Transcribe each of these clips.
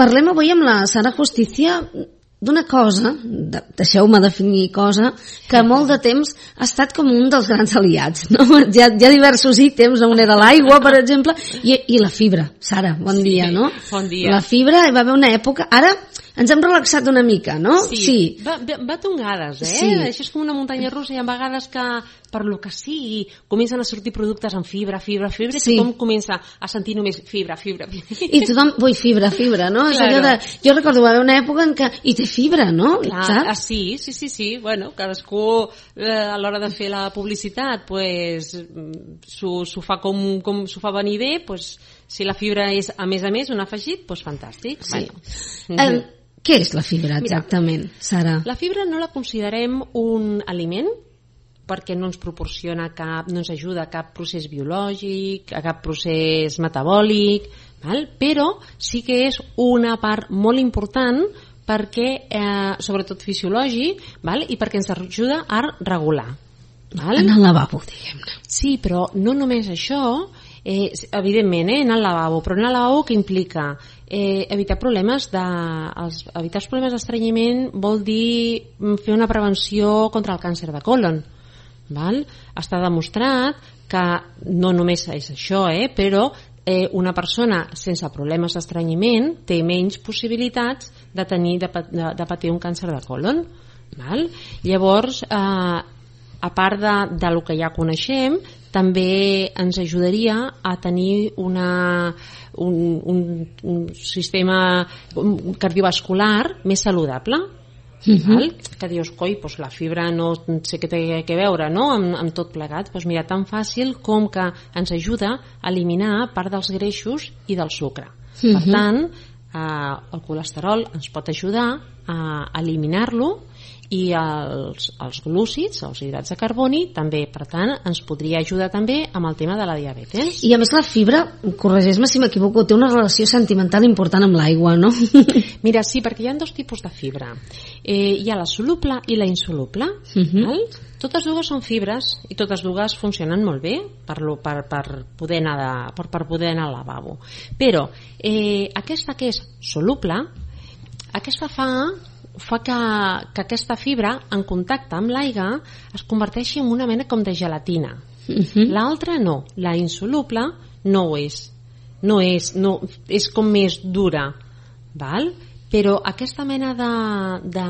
parlem avui amb la Sara Justicia d'una cosa, deixeu-me definir cosa, que molt de temps ha estat com un dels grans aliats, no? Hi ha diversos ítems, on era l'aigua, per exemple, i la fibra. Sara, bon dia, no? Bon dia. La fibra, hi va haver una època, ara ens hem relaxat una mica, no? Sí. Va tongades, Sí. Això és com una muntanya russa, hi ha vegades que, per lo que sigui, comencen a sortir productes amb fibra, Sí. i tothom comença a sentir només fibra. I tothom, vull fibra, no? És allò de, jo recordo, va haver una època en què hi té fibra, no? Clar, sí. Bueno, cadascú a l'hora de fer la publicitat pues, s'ho fa com s'ho fa venir bé, pues, si la fibra és a més un afegit, pues fantàstic. Sí. Bueno. Què és la fibra exactament, Sara? La fibra no la considerem un aliment perquè no ens proporciona no ens ajuda a cap procés biològic, a cap procés metabòlic, val? Però sí que és una part molt important perquè, sobretot fisiològic, val? I perquè ens ajuda a regular. Val? En el lavabo, diguem-ne. Sí, però no només això, evidentment, en el lavabo, però en el lavabo què implica? Evitar problemes d'estrenyiment vol dir fer una prevenció contra el càncer de còlon. Val? Està demostrat que no només és això, però una persona sense problemes d'estrenyiment té menys possibilitats de patir un càncer de còlon. Val? Llavors, a part de lo que ja coneixem, també ens ajudaria a tenir un sistema cardiovascular més saludable. Val? Que dius, coi, doncs la fibra no sé què té a veure, no? amb tot plegat. Doncs mira, tan fàcil com que ens ajuda a eliminar part dels greixos i del sucre. Per tant, el colesterol ens pot ajudar a eliminar-lo, i els glúcids, els hidrats de carboni, també, per tant, ens podria ajudar també amb el tema de la diabetes. I a més la fibra, corregeix-me si m'equivoco, té una relació sentimental important amb l'aigua, no? Mira, sí, perquè hi ha dos tipus de fibra. Hi ha la soluble i la insoluble. Val? Totes dues són fibres i totes dues funcionen molt bé per poder anar al lavabo. Però aquesta que és soluble, aquesta fa que aquesta fibra en contacte amb l'aigua es converteixi en una mena com de gelatina. L'altra no, la insoluble no ho és. És com més dura, val? Però aquesta mena de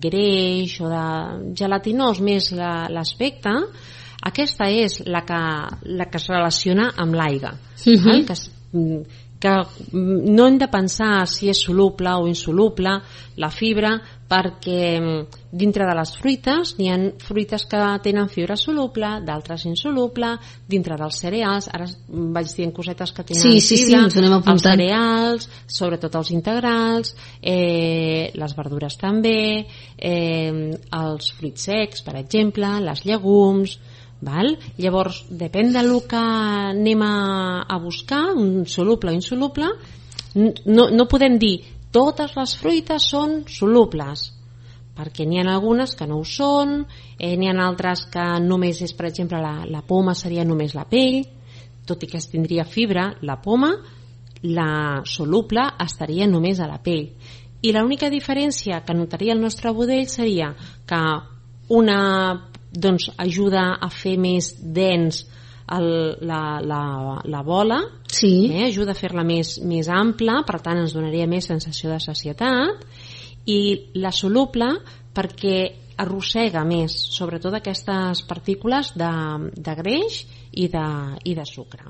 greix o de gelatinós més l'aspecte, aquesta és la que es relaciona amb l'aigua, que no hem de pensar si és soluble o insoluble la fibra, perquè dintre de les fruites n'hi ha fruites que tenen fibra soluble, d'altres insoluble, dintre dels cereals, ara vaig dient cosetes que tenen fibra, els cereals, sobretot els integrals, les verdures també, els fruits secs, per exemple, les llegums. Val? Llavors, depèn del que anem a buscar, un soluble o insoluble, no podem dir totes les fruites són solubles, perquè n'hi ha algunes que no ho són, n'hi ha altres que només és, per exemple, la poma seria només la pell, tot i que es tindria fibra, la poma, la soluble estaria només a la pell. I l'única diferència que notaria el nostre budell seria que una ajuda a fer més dens la bola, ajuda a fer-la més ampla, per tant ens donaria més sensació de sacietat, i la soluble perquè arrossega més, sobretot aquestes partícules de greix i de sucre.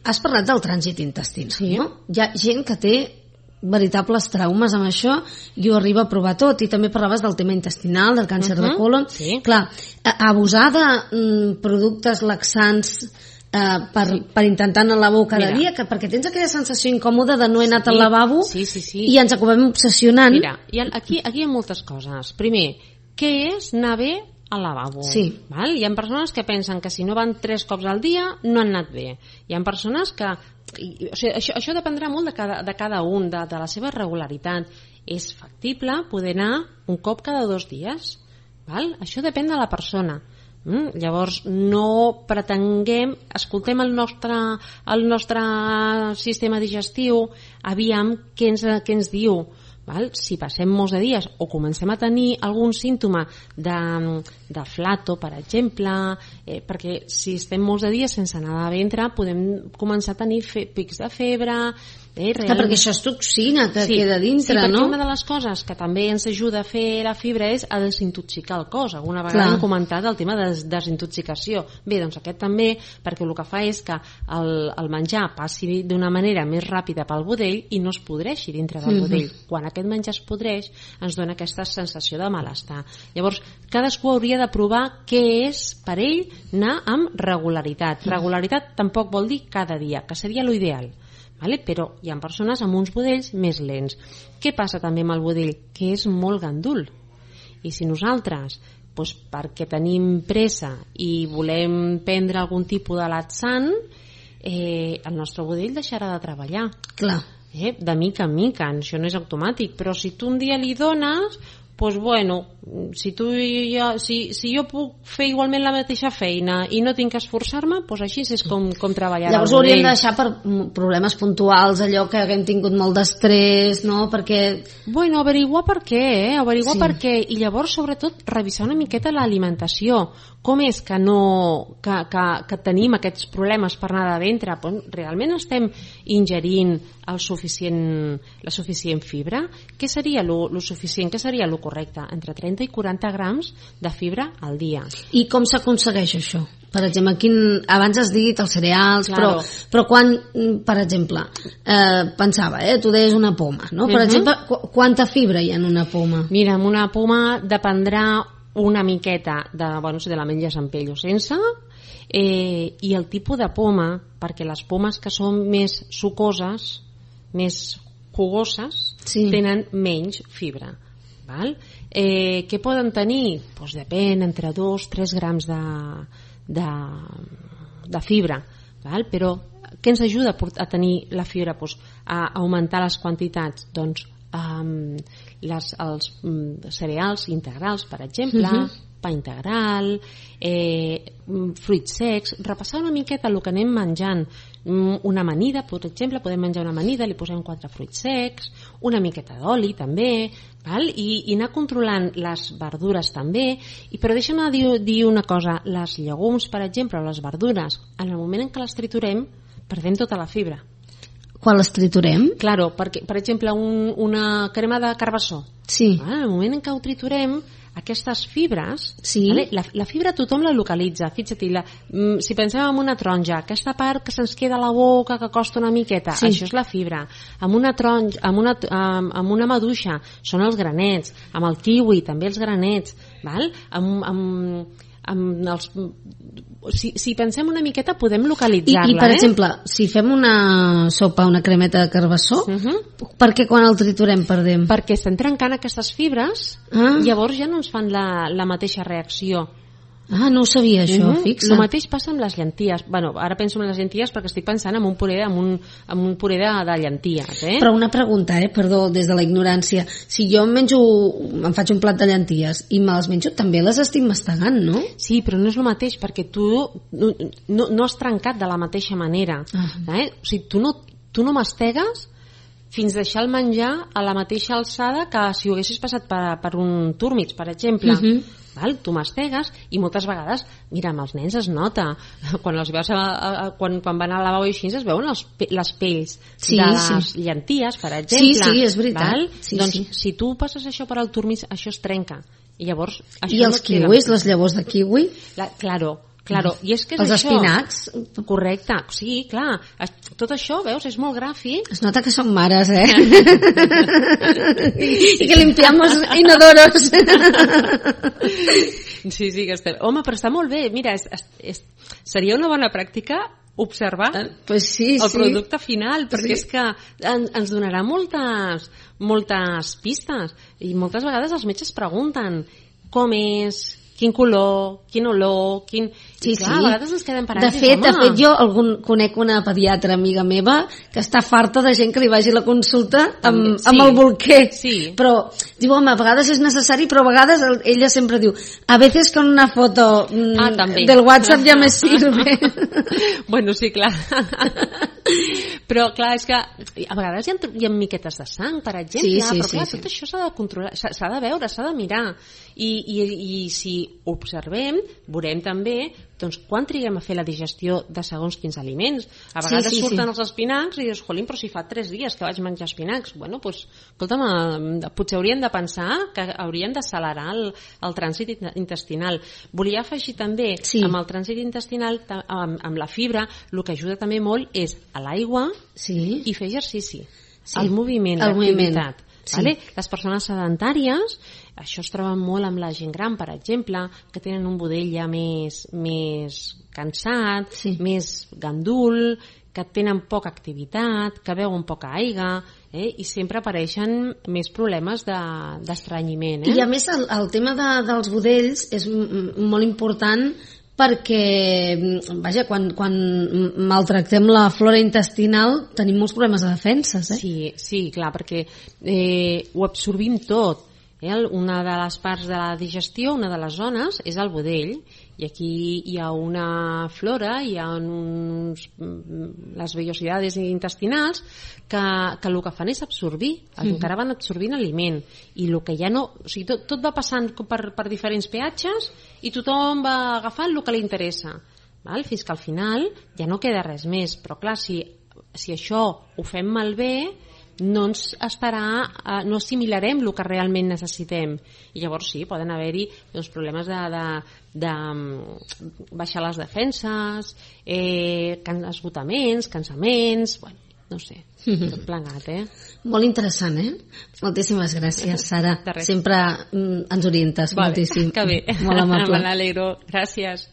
Has parlat del trànsit intestinal, no? Hi ha gent que té veritables traumes amb això i ho arriba a provar tot, i també parlaves del tema intestinal, del càncer de còlon. Clar, abusar de productes laxants per intentar anar al lavabo cada dia, perquè tens aquella sensació incòmoda de no he anat al lavabo i ens acabem obsessionant. Mira, aquí hi ha moltes coses. Primer, què és anar bé al lavabo? Val? Hi ha persones que pensen que si no van 3 cops al dia no han anat bé. Hi ha persones que això dependrà molt de cada un, de la seva regularitat. És factible poder anar un cop cada 2 dies. Val? Això depèn de la persona. Llavors no pretenguem, escoltem el nostre sistema digestiu, aviam què ens diu, val? Si passem molts de dies o comencem a tenir algun símptoma de flato, per exemple, perquè si estem molts de dies sense anar de ventre podem començar a tenir pics de febre. Clar, perquè això és toxina que queda dintre, perquè no? Una de les coses que també ens ajuda a fer la fibra és a desintoxicar el cos. Alguna vegada hem comentat el tema de desintoxicació. Bé, doncs aquest també, perquè el que fa és que el menjar passi d'una manera més ràpida pel budell i no es podreixi dintre del budell. Quan aquest menjar es podreix ens dona aquesta sensació de malestar. Llavors, cadascú hauria de provar què és per ell anar amb regularitat. Regularitat tampoc vol dir cada dia, que seria l'ideal. Vale? Però hi ha persones amb uns budells més lents. Què passa també amb el budell? Que és molt gandul. I si nosaltres, doncs perquè tenim pressa i volem prendre algun tipus de laxant, el nostre budell deixarà de treballar. Clar. De mica en mica, això no és automàtic, però si tu un dia li dones, doncs bueno, si jo puc fer igualment la mateixa feina i no tinc que esforçar-me, doncs així és com treballar. Llavors ho hauríem de deixar per problemes puntuals, allò que haguem tingut molt d'estrès, no? Perquè... Bueno, averiguar per què, per què, i llavors sobretot revisar una miqueta l'alimentació. Com és que tenim aquests problemes per anar de ventre? Realment estem ingerint la suficient fibra? Què seria lo suficient? Què seria lo correcte? Entre 30 i 40 grams de fibra al dia. I com s'aconsegueix això? Per exemple, abans has dit els cereals, claro. però quan, per exemple, pensava, tu deies una poma, no? Per exemple, quanta fibra hi ha en una poma? Mira, en una poma dependrà una miqueta si te la menges amb pell o sense, i el tipus de poma, perquè les pomes que són més sucoses, més jugoses, tenen menys fibra. Val? Què poden tenir? Doncs depèn, entre 2-3 grams de fibra. Val? Però què ens ajuda a tenir la fibra? Doncs a augmentar les quantitats. Doncs els cereals integrals, per exemple, pa integral, fruits secs, repassar una miqueta el que anem menjant. Una amanida, per exemple, podem menjar una amanida, li posem 4 fruits secs, una miqueta d'oli també, val? I anar controlant les verdures també. Però deixa'm dir una cosa, les llegums, per exemple, o les verdures, en el moment en què les triturem, perdem tota la fibra. Quan les triturem? Claro, perquè, per exemple, una crema de carbassó. Sí. En el moment en què ho triturem, aquestes fibres, sí. Vale? La fibra tothom la localitza. Fixa't, si pensem en una taronja, aquesta part que se'ns queda a la boca, que costa una miqueta, això és la fibra. Amb una taronja, amb una maduixa, són els granets. Amb el kiwi, també els granets. Val? Si pensem una miqueta podem localitzar-la. I per exemple, si fem una sopa, una cremeta de carbassó, per què quan el triturem perdem? Perquè estem trencant aquestes fibres, llavors ja no ens fan la mateixa reacció. No ho sabia això, fixa. El mateix passa amb les llenties. Ara penso en les llenties perquè estic pensant en un puré de llenties. Però una pregunta, perdó, des de la ignorància. Si jo em faig un plat de llenties i me les menjo, també les estic mastegant, no? Sí, però no és el mateix perquè tu no has trencat de la mateixa manera. O sigui, tu no mastegues fins deixar el menjar a la mateixa alçada que si ho haguessis passat per un túrmix, per exemple. Val? Tu mastegues i moltes vegades, mira, amb els nens es nota quan van al lavabo i així es veuen les pells de les llenties, per exemple. Sí, és veritat. Doncs si tu passes això per al túrmix, això es trenca. I llavors... I els kiwis, les llavors de kiwi? Claro, i és que és els això. espinacs? Correcte, sí, clar. Tot això, veus, és molt gràfic. Es nota que són mares, I que limpiamos inodoros. Sí, que estem... Home, però està molt bé. Mira, seria una bona pràctica observar el producte final, perquè és que ens donarà moltes pistes. I moltes vegades els metges pregunten com és, quin color, quin olor, quin... Sí, clar, sí. a vegades ens quedem parats. De fet, jo conec una pediatra amiga meva que està farta de gent que li vagi a la consulta amb el bolquer. Sí. Però diu, home, a vegades és necessari, però a vegades ella sempre diu, a veces con una foto del WhatsApp ja me sirve. Bueno, sí, clar. Però clar, és que a vegades hi ha miquetes de sang, per exemple, però clar, tot això s'ha de controlar, s'ha de veure, s'ha de mirar, i si observem, veurem també doncs quan triguem a fer la digestió de segons quins aliments. A vegades surten els espinacs i dius, jolín, però si fa 3 dies que vaig menjar espinacs. Bueno, doncs, escolta'm, potser haurien de pensar que haurien d'accelerar el trànsit intestinal. Volia afegir també, amb el trànsit intestinal, amb la fibra, el que ajuda també molt és a l'aigua i fer exercici. El moviment, l'activitat. Vale? Les persones sedentàries, això es troba molt amb la gent gran, per exemple, que tenen un budell ja més cansat, més gandul, que tenen poca activitat, que beuen poca aigua, i sempre apareixen més problemes d'estrenyiment. I a més el tema dels budells és molt important, perquè, vaja, quan maltractem la flora intestinal tenim molts problemes de defenses. Sí, clar, perquè ho absorbim tot. Una de les parts de la digestió, una de les zones, és el budell, i aquí hi ha una flora, hi ha les vellosidades intestinals que el que fan és absorbir, encara van absorbint aliment, i el que ja no, o sigui, tot va passant per diferents peatges i tothom va agafant el que li interessa, fins que al final ja no queda res més. Però clar, si això ho fem malbé, no assimilarem el que realment necessitem, i llavors poden haver-hi problemes de baixar les defenses, esgotaments, cansaments, no sé, tot plegat. Molt interessant, Moltíssimes gràcies, Sara. Sempre ens orientes moltíssim. Que bé, molt amable. Me n'alegro, gràcies.